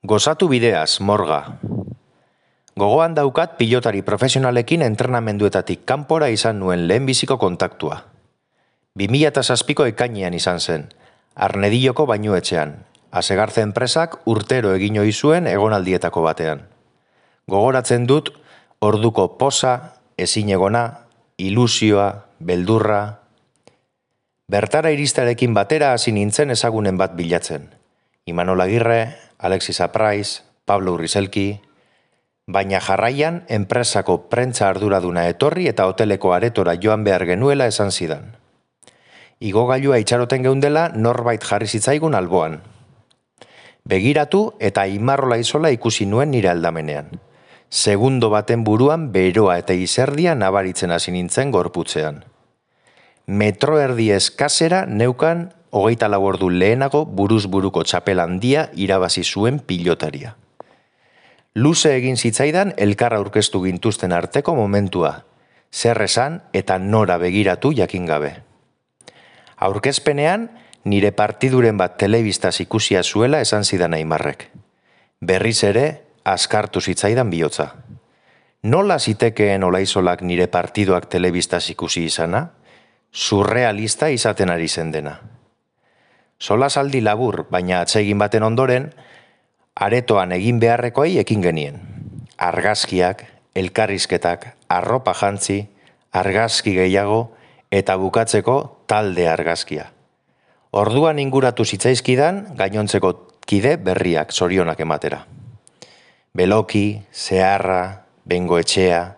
Gozatu bideaz, morga. Gogoan daukat pilotari profesionalekin entrenamenduetatik kanpora izan nuen lehenbiziko kontaktua. 2007ko ekainean izan zen, Arnedilloko bainuetxean, Asegarze enpresak urtero egin ohi zuen egonaldietako batean. Gogoratzen dut, orduko poza, ezinegona, ilusioa, beldurra. Bertara iristarekin batera hasi nintzen ezagunen bat bilatzen. Imanol Agirre, Alexis Apraiz, Pablo Urrizelki, baina jarraian enpresako prentza arduraduna etorri eta hoteleko aretora joan behar genuela esan zidan. Igogailua itxaroten geundela norbait jarri zitzaigun alboan. Begiratu eta Imarrola Izola ikusi nuen nire aldamenean. Segundo baten buruan beroa eta izerdia nabaritzen hasi nintzen gorputzean. Metro erdi eskasera neukan 24 ordu lehenago buruz buruko txapel handia irabazi zuen pilotaria. Luze egin zitzaidan elkar aurkeztu gintuzten arteko momentua, zer esan eta nora begiratu jakin gabe. Aurkezpenean, nire partiduren bat telebistaz ikusia zuela esan zidan Aimarrek. Berriz ere, askartu zitzaidan bihotza. Nola zitekeen Olaizolak nire partiduak telebistaz ikusi izana? Surrealista izaten ari zen dena. Solasaldi labur, baina atsegin baten ondoren, aretoan egin beharrekoei ekin genien. Argazkiak, elkarrizketak, arropa jantzi, argazki gehiago eta bukatzeko talde argazkia. Orduan inguratu zitzaizkidan gainontzeko kide berriak zorionak ematera. Beloki, Zeharra, Bengoetxea,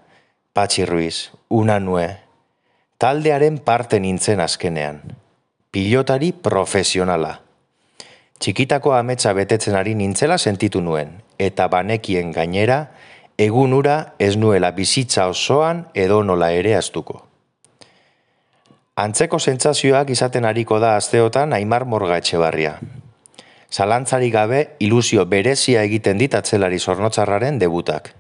Patxi Ruiz, Unanue, taldearen parte nintzen azkenean. Pilotari profesionala. Txikitako ametsa betetzen ari nintzela sentitu nuen, eta banekien gainera, egun ura ez nuela bizitza osoan edo nola ere astuko. Antzeko sentsazioak izaten ariko da asteotan Aimar Morga Etxebarria. Zalantzari gabe ilusio berezia egiten dit atzelari zornotzarraren debutak.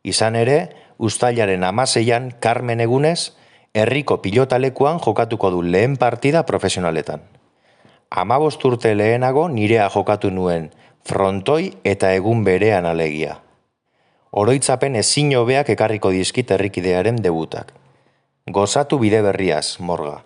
Izan ere, uztailaren 16an Carmen egunez, herriko pilotalekuan jokatuko du lehen partida profesionaletan. 15 urte lehenago nirea jokatu nuen frontoi eta egun berean alegia. Oroitzapen ezin hobeak ekarriko dizkit herrikidearen debutak. Gozatu bide berriaz, Morga.